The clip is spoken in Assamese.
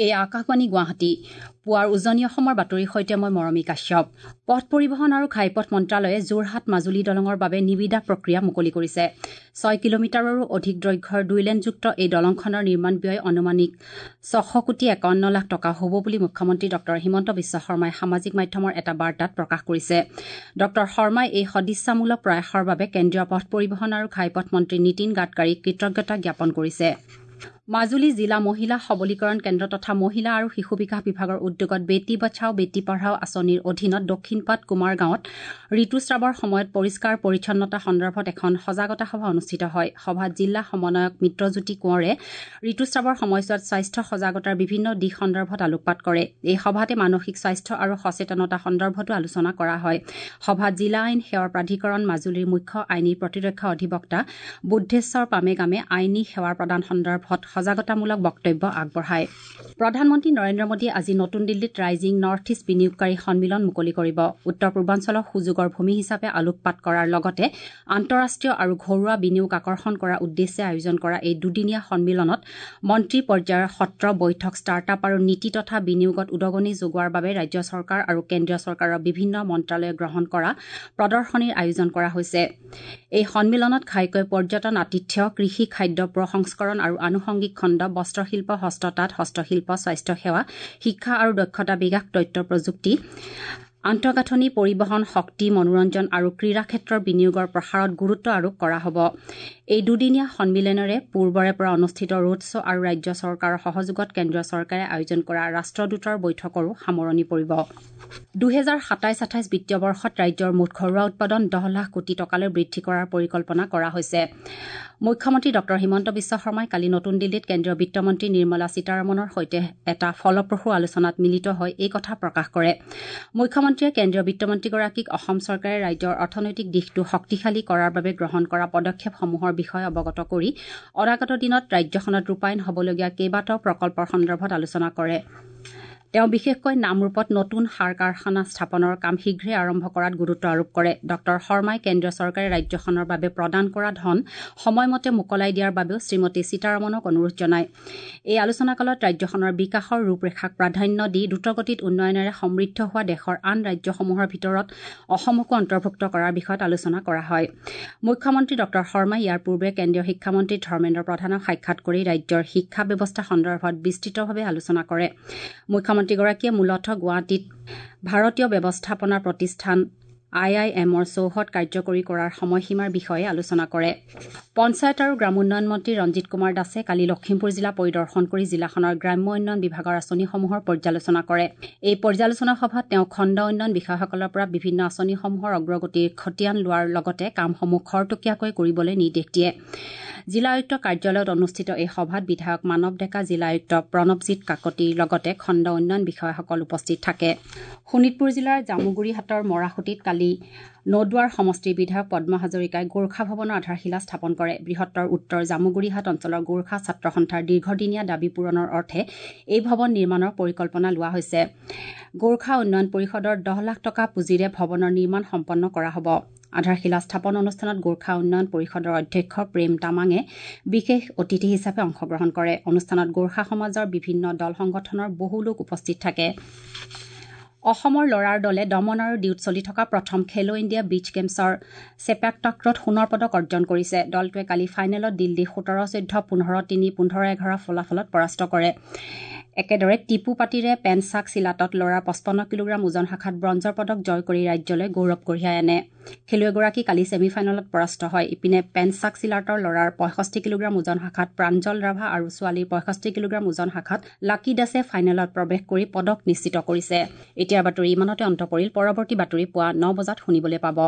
এই আকাশবাণী গুৱাহাটী পুৱাৰ উজনি অসমৰ বাতৰিৰ সৈতে মই মৰমী কাশ্যপ। পথ পৰিবহণ আৰু ঘাইপথ মন্ত্ৰালয়ে যোৰহাট মাজুলী দলঙৰ বাবে নিবিদা প্ৰক্ৰিয়া মুকলি কৰিছে। 6 কিলোমিটাৰৰো অধিক দৈৰ্ঘ্যৰ দুই লেনযুক্ত এই দলংখনৰ নিৰ্মাণ ব্যয় আনুমানিক 600 কোটি 51 লাখ টকা হ'ব বুলি মুখ্যমন্ত্ৰী ডঃ হিমন্ত বিশ্ব শৰ্মাই সামাজিক মাধ্যমৰ এটা বাৰ্তাত প্ৰকাশ কৰিছে। ডঃ শৰ্মাই এই সদিচ্ছামূলক প্ৰয়াসৰ বাবে কেন্দ্ৰীয় পথ পৰিবহণ আৰু ঘাইপথ মন্ত্ৰী নীতিন গাডকাৰীক কৃতজ্ঞতা জ্ঞাপন কৰিছে। মাজুলী জিলা মহিলা সবলীকৰণ কেন্দ্ৰ তথা মহিলা আৰু শিশু বিকাশ বিভাগৰ উদ্যোগত বেটী বচাও বেটী পঢ়াও আঁচনিৰ অধীনত দক্ষিণপাট কুমাৰ গাঁৱত ঋতুস্ৰাৱৰ সময়ত পৰিষ্কাৰ পৰিচ্ছন্নতা সন্দৰ্ভত এখন সজাগতা সভা অনুষ্ঠিত হয়। সভাত জিলা সমন্বয়ক মিত্ৰজ্যোতি কোঁৱৰে ঋতুস্ৰাৱৰ সময়ছোৱাত স্বাস্থ্য সজাগতাৰ বিভিন্ন দিশ সন্দৰ্ভত আলোকপাত কৰে। এই সভাতে মানসিক স্বাস্থ্য আৰু সচেতনতা সন্দৰ্ভতো আলোচনা কৰা হয়। সভাত জিলা আইন সেৱাৰ প্ৰাধিকৰণ মাজুলীৰ মুখ্য আইনী প্ৰতিৰক্ষা অধিবক্তা বুদ্ধেশ্বৰ পামেগামে আইনী সেৱাৰ প্ৰদান সন্দৰ্ভত সজাগতামূলক বক্তব্য আগবঢ়ায়। প্ৰধানমন্ত্ৰী নৰেন্দ্ৰ মোদীয়ে আজি নতুন দিল্লীত ৰাইজিং নৰ্থ ইষ্ট বিনিয়োগকাৰী সন্মিলন মুকলি কৰিব। উত্তৰ পূৰ্বাঞ্চলক সুযোগৰ ভূমি হিচাপে আলোকপাত কৰাৰ লগতে আন্তঃৰাষ্ট্ৰীয় আৰু ঘৰুৱা বিনিয়োগ আকৰ্ষণ কৰাৰ উদ্দেশ্যে আয়োজন কৰা এই দুদিনীয়া সন্মিলনত মন্ত্ৰী পৰ্যায়ৰ সত্ৰ বৈঠক, ষ্টাৰ্টআপ আৰু নীতি তথা বিনিয়োগত উদগনি যোগোৱাৰ বাবে ৰাজ্য চৰকাৰ আৰু কেন্দ্ৰীয় চৰকাৰৰ বিভিন্ন মন্ত্ৰালয়ে গ্ৰহণ কৰা প্ৰদৰ্শনীৰ আয়োজন কৰা হৈছে। এই সন্মিলনত ঘাইকৈ পৰ্যটন, আতিথ্য, কৃষি, খাদ্য প্ৰসংস্কৰণ আৰু আনুষংগিক খণ্ড, বস্ত্ৰশিল্প, হস্ততাঁত, হস্তশিল্প, স্বাস্থ্যসেৱা, শিক্ষা আৰু দক্ষতা বিকাশ, তথ্য প্ৰযুক্তি, আন্তঃগাঁথনি, পৰিবহণ, শক্তি, মনোৰঞ্জন আৰু ক্ৰীড়া ক্ষেত্ৰৰ বিনিয়োগৰ প্ৰসাৰত গুৰুত্ব আৰোপ কৰা হ'ব। এই দুদিনীয়া সন্মিলনেৰে পূৰ্বৰে পৰা অনুষ্ঠিত ৰোড শ্ব' আৰু ৰাজ্য চৰকাৰৰ সহযোগত কেন্দ্ৰীয় চৰকাৰে আয়োজন কৰা ৰাষ্ট্ৰদূতৰ বৈঠকৰো সামৰণি পৰিব। 2027-28 বিত্তীয় বৰ্ষত ৰাজ্যৰ মুঠ ঘৰুৱা উৎপাদন 10 লাখ কোটি টকালৈ বৃদ্ধি কৰাৰ পৰিকল্পনা কৰা হৈছে। মুখ্যমন্ত্ৰী ডঃ হিমন্ত বিশ্ব শৰ্মাই কালি নতুন দিল্লীত কেন্দ্ৰীয় বিত্তমন্ত্ৰী নিৰ্মলা সীতাৰমণৰ সৈতে এটা ফলপ্ৰসূ আলোচনাত মিলিত হৈ এই কথা প্ৰকাশ কৰে। মুখ্যমন্ত্ৰীয়ে কেন্দ্ৰীয় বিত্তমন্ত্ৰীগৰাকীক অসম চৰকাৰে ৰাজ্যৰ অৰ্থনৈতিক দিশটো শক্তিশালী কৰাৰ বাবে গ্ৰহণ কৰা পদক্ষেপসমূহৰ বিষয়ে অৱগত কৰি অনাগত দিনত ৰাজ্যখনত ৰূপায়ণ হ'বলগীয়া কেইবাটাও প্ৰকল্পৰ সন্দৰ্ভত আলোচনা কৰে। তেওঁ বিশেষকৈ নামৰূপত নতুন সাৰ কাৰখানা স্থাপনৰ কাম শীঘ্ৰে আৰম্ভ কৰাত গুৰুত্ব আৰোপ কৰে। ডঃ শৰ্মাই কেন্দ্ৰীয় চৰকাৰে ৰাজ্যখনৰ বাবে প্ৰদান কৰা ধন সময়মতে মোকলাই দিয়াৰ বাবেও শ্ৰীমতী সীতাৰমণক অনুৰোধ জনায়। এই আলোচনাকালত ৰাজ্যখনৰ বিকাশৰ ৰূপৰেখাক প্ৰাধান্য দি দ্ৰুতগতিত উন্নয়নেৰে সমৃদ্ধ হোৱা দেশৰ আন ৰাজ্যসমূহৰ ভিতৰত অসমকো অন্তৰ্ভুক্ত কৰাৰ বিষয়ত আলোচনা কৰা হয়। মুখ্যমন্ত্ৰী ডঃ শৰ্মাই ইয়াৰ পূৰ্বে কেন্দ্ৰীয় শিক্ষামন্ত্ৰী ধৰ্মেন্দ্ৰ প্ৰধানক সাক্ষাৎ কৰি ৰাজ্যৰ শিক্ষা ব্যৱস্থা সন্দৰ্ভত বিস্তৃতভাৱে আলোচনা কৰে। মুখ্যমন্ত্ৰীগৰাকীয়ে মূলতঃ গুৱাহাটীত ভাৰতীয় ব্যৱস্থাপনা প্ৰতিষ্ঠান আই আই এমৰ চৌহদ কাৰ্যকৰী কৰাৰ সময়সীমাৰ বিষয়ে আলোচনা কৰে। পঞ্চায়ত আৰু গ্ৰামোন্নয়ন মন্ত্ৰী ৰঞ্জিত কুমাৰ দাসে কালি লখিমপুৰ জিলা পৰিদৰ্শন কৰি জিলাখনৰ গ্ৰাম্য উন্নয়ন বিভাগৰ আঁচনিসমূহৰ পৰ্যালোচনা কৰে। এই পৰ্যালোচনা সভাত তেওঁ খণ্ড উন্নয়ন বিষয়াসকলৰ পৰা বিভিন্ন আঁচনিসমূহৰ অগ্ৰগতিৰ খতিয়ান লোৱাৰ লগতে কামসমূহ খৰতকীয়াকৈ কৰিবলৈ নিৰ্দেশ দিয়ে। জিলা আয়ুক্ত কাৰ্যালয়ত অনুষ্ঠিত এই সভাত বিধায়ক মানৱ ডেকা, জিলা আয়ুক্ত প্ৰণৱজিৎ কাকতিৰ লগতে খণ্ড উন্নয়ন বিষয়াসকল উপস্থিত থাকে। শোণিতপুৰ জিলাৰ জামুগুৰিহাটৰ মৰাসুঁতিত কালি নদুৱাৰ সমষ্টিৰ বিধায়ক পদ্ম হাজৰিকাই গোৰ্খা ভৱনৰ আধাৰশিলা স্থাপন কৰে। বৃহত্তৰ উত্তৰ জামুগুৰিহাট অঞ্চলৰ গোৰ্খা ছাত্ৰ সন্থাৰ দীৰ্ঘদিনীয়া দাবী পূৰণৰ অৰ্থে এই ভৱন নিৰ্মাণৰ পৰিকল্পনা লোৱা হৈছে। গোৰ্খা উন্নয়ন পৰিষদৰ 10 লাখ টকা পুঁজিৰে ভৱনৰ নিৰ্মাণ সম্পন্ন কৰা হ'ব। আধাৰশিলা স্থাপন অনুষ্ঠানত গোৰ্খা উন্নয়ন পৰিষদৰ অধ্যক্ষ প্ৰেম তামাঙে বিশেষ অতিথি হিচাপে অংশগ্ৰহণ কৰে। অনুষ্ঠানত গোৰ্খা সমাজৰ বিভিন্ন দল সংগঠনৰ বহু লোক উপস্থিত থাকে। অসমৰ ল'ৰাৰ দলে দমন আৰু ডিউত চলি থকা প্ৰথম খেলো ইণ্ডিয়া বীচ গেমছৰ চেপাক টাক্ৰত সোণৰ পদক অৰ্জন কৰিছে। দলটোৱে কালি ফাইনেলত দিল্লী 17-14, 15-3, 15-11 ফলাফলত পৰাস্ত কৰে। একেদৰে টিপু পাতিৰে পেনচাক চিলাটত ল'ৰাৰ 55 কিলোগ্ৰাম ওজন শাখাত ব্ৰঞ্জৰ পদক জয় কৰি ৰাজ্যলৈ গৌৰৱ কঢ়িয়াই আনে। খেলুৱৈগৰাকী কালি ছেমি ফাইনেলত পৰাস্ত হয়। ইপিনে পেনচাক চিলাটৰ ল'ৰাৰ 65 কিলোগ্ৰাম ওজন শাখাত প্ৰাঞ্জল ৰাভা আৰু ছোৱালীৰ 65 কিলোগ্ৰাম ওজন শাখাত লাকি দাসে ফাইনেলত প্ৰৱেশ কৰি পদক নিশ্চিত কৰিছে। এতিয়াৰ বাতৰি ইমানতে অন্ত পৰিল। পৰৱৰ্তী বাতৰি পুৱা 9 বজাত শুনিবলৈ পাব।